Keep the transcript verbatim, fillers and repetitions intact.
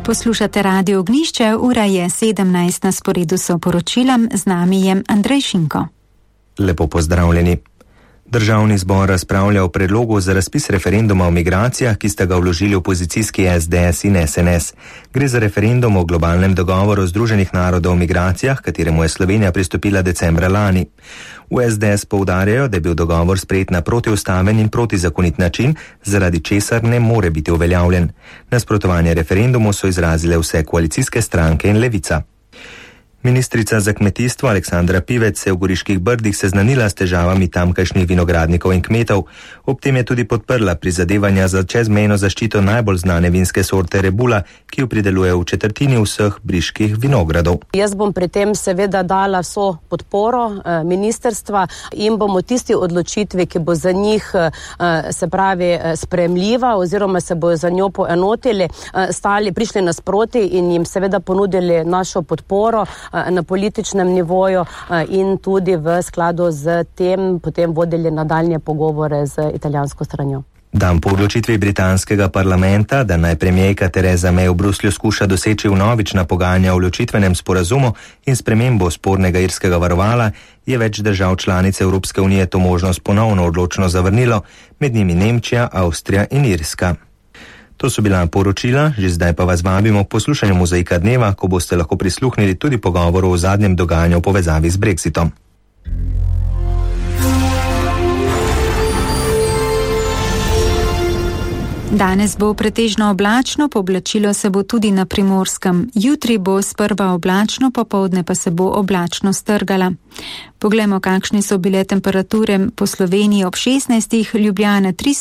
Poslušate Radio Ognjišče, ura je sedemnajst, na sporedu so poročila, z nami je Andrej Šinko. Lepo pozdravljeni. Državni zbor razpravlja o predlogu za razpis referenduma o migracijah, ki sta ga vložili opozicijski S D S in S N S. Gre za referendum o globalnem dogovoru Združenih narodov o migracijah, kateremu je Slovenija pristopila decembra lani. V S D S poudarjajo, da je bil dogovor sprejet na protiustaven in protizakonit način, zaradi česar ne more biti uveljavljen. Nasprotovanje referendumu so izrazile vse koalicijske stranke in Levica. Ministrica za kmetijstvo Aleksandra Pivec se je v Goriških Brdih seznanila s težavami tamkajšnjih vinogradnikov in kmetov. Ob tem je tudi podprla prizadevanja za čezmejno zaščito najbolj znane vinske sorte Rebula, ki jo prideluje v četrtini vseh briških vinogradov. Jaz bom pri tem seveda dala vso podporo eh, ministerstva in bomo tisti odločitvi, ki bo za njih eh, se pravi eh, sprejemljiva oziroma se bojo za njo poenotili, eh, stali, prišli nasproti in jim seveda ponudili našo podporo na političnem nivoju in tudi v skladu z tem potem vodili nadaljnje pogovore z italijansko stranjo. Dan po odločitvi britanskega parlamenta, da naj premijerka Theresa May v Bruslju skuša doseči vnovična pogajanja o ločitvenem sporazumu in spremembo spornega irskega varovala, je več držav članic Evropske unije to možnost ponovno odločno zavrnilo, med njimi Nemčija, Avstrija in Irska. To so bila poročila, že zdaj pa vas vabimo k poslušanju Mozaika dneva, ko boste lahko prisluhnili tudi pogovoru o zadnjem dogajanju v povezavi z Brexitom. Danes bo pretežno oblačno, pooblačilo se bo tudi na Primorskem. Jutri bo sprva oblačno, popoldne pa se bo oblačno strgala. Poglejmo, kakšne so bile temperature po Sloveniji ob šestnajstih, Ljubljana tri